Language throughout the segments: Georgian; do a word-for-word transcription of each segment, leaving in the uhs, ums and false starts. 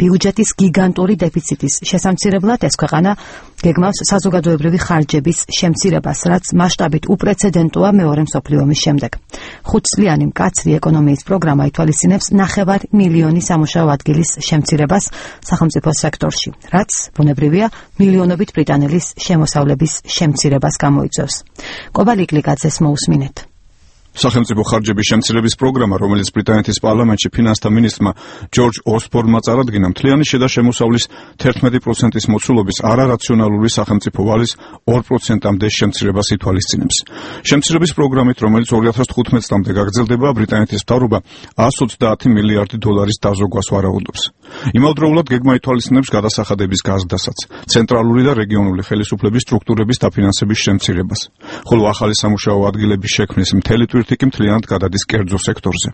ბიუჯეტის გიგანტური დეფიციტის შესამცირებლად ეს ქვეყანა გეგმავს საზოგადოებრივი ხარჯების შემცირებას, რაც მასშტაბით უპრეცედენტოა მეორე მსოფლიო ომის შემდეგ. ხუთწლიანი მკაცრი ეკონომიის პროგრამა ითვალისწინებს ნახევარ მილიონი სამუშაო ადგილის შემცირებას სახელმწიფო სექტორში, რაც ბუნებრივია მილიონობით ბრიტანელის შემოსავლების შემცირებას გამოიწვევს. კობალიკ ლიკაძეს მოусმინეთ. სახელმწიფო ხარჯების შემცირების პროგრამა, რომელიც ბრიტანეთის პარლამენტში ფინანსთა მინისტრმა ჯორჯ ოსბორნმა წარადგინა, მთლიანი შიდა შემოსავლის თერთმეტი პროცენტის მოცულობის არარაციონალური სახელმწიფო ვალის ორ პროცენტამდე შემცირებას ითვალისწინებს. შემცირების პროგრამით, რომელიც ორი ათას თხუთმეტ წლამდე გაგრძელდება, ბრიტანეთის მთავრობა εκατს ოცდაათი მილიარდი დოლარის დაზოგვას ვარაუდობს. იმავდროულად გეგმა ითვალისწინებს გადასახადების გაზრდასაც, ცენტრალური და რეგიონული ხელისუფლების სტრუქტურების დაფინანსების შემცირებას, ხოლო ახალი სამუშაო ადგილების შექმნის მთელი თვირთი მთლიანად გადადის კერძო სექტორზე.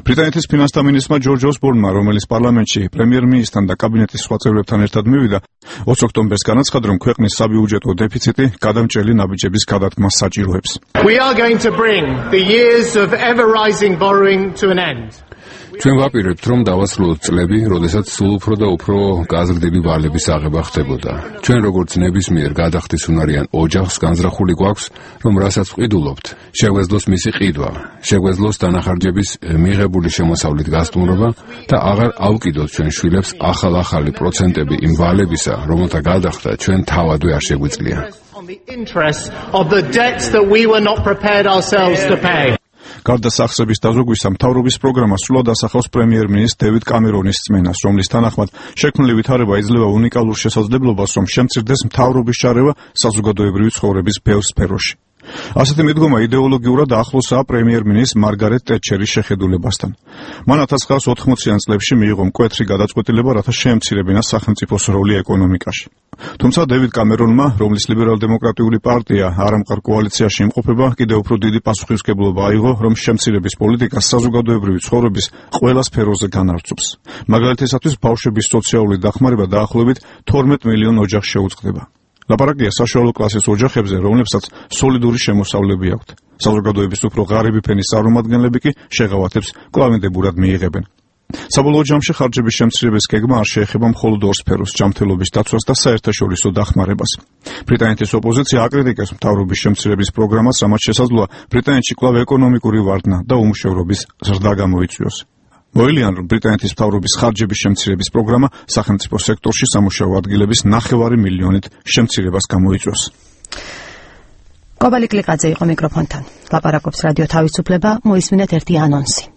ბრიტანეთის ფინანსთა მინისტრმა ჯორჯ ოსბორნმა, რომელიც პარლამენტში პრემიერ-მინისტრთან და კაბინეტის სხვა წევრებთან ერთად მივიდა, ოცი ოქტომბერს განაცხადა, რომ ქვეყნის საბიუჯეტო დეფიციტი გადამჭრელი ნაბიჯების გადადგმას საჭიროებს. We are going to bring the years of ever rising borrowing to an end. ჩვენ ვაპირებთ, რომ დავასრულოთ წლები, როდესაც სულ უფრო და უფრო გაზრდილი ვალების აღება ხდებოდა. ჩვენ როგორც ნებისმიერ გადახდის უნარიან ოჯახს განზრახული გვაქვს, რომ რასაც ვყიდულობთ, შეგვეძლოს მისი ყიდვა, შეგვეძლოს დანახარჯების მიღებული შემოსავლით გასტუმრობა და აღარ ავკიდოთ ჩვენ შვილებს ახალ-ახალი პროცენტები იმ ვალებისა, რომელთა გადახდა ჩვენ თავადვე არ შეგვიძლია. გარდა სახსრების დაზოგვისა, მთავრობის პროგრამა სრულად ასახავს პრემიერ-მინისტრ დევიდ კამერონის რწმენას, რომლის თანახმად შექმნილი ვითარება იძლევა უნიკალურ შესაძლებლობას, რომ შემცირდეს მთავრობის შარევა საზოგადოებრივი ცხოვრების ბევრ სფეროში. ასეთი მიდგომა იდეოლოგიურად ახლოსაა პრემიერ-მინისტრ მარგარეტ ტეტჩერის შეხედულებასთან. მან ათას ცხრაასი ოთხმოციან წლებში მიიღო მკვეთრი გადაწყვეტილება, რათა შეემცირებინა სახელმწიფოს როლი ეკონომიკაში. თუმცა დევიდ კამერონმა, რომლის ლიბერალ-დემოკრატიული პარტია არამყარ კოალიციაში იმყოფება, კიდევ უფრო დიდი პასუხისმგებლობა აიღო, რომ შემცირების პოლიტიკა საზოგადოებრივი ცხოვრების ყველა სფეროზე განარცობს. მაგალითისათვის, ბავშვების სოციალური დახმარება დაახლოებით თორმეტ მილიონ ოჯახს შეუწყდება. ლაპარაკია საშუალო კლასის ოჯახებზე, რომლებსაც სოლიდური შემოსავლები აქვთ. საზოგადოების უფრო ღარიბი ფენის წარმომადგენლები კი შეღავათებს კვლავინდებურად მიიღებენ. საბოლოო ჯამში ხარჯების შემცირების გეგმა არ შეეხება მხოლოდ ორ სფეროს, ჯანმრთელობის დაცვას და საერთაშორისო დახმარებას. ბრიტანეთის ოპოზიცია აკრიტიკებს მთავრობის შემცირების პროგრამას, რამაც შესაძლოა ბრიტანეთში კვლავ ეკონომიკური ვარდნა და უმუშევრობის ზრდა გამოიწვიოს. მოილიან, რომ ბრიტანეთის მთავრობის ხარჯების შემცირების პროგრამა სახელმწიფო სექტორში სამუშაო ადგილების ნახევარი მილიონით შემცირებას გამოიწვევს. კობალიკ ლიკაძე იყო მიკროფონთან. ლაპარაკობს რადიო თავისუფლება, მოისმინეთ ერთი ანონსი.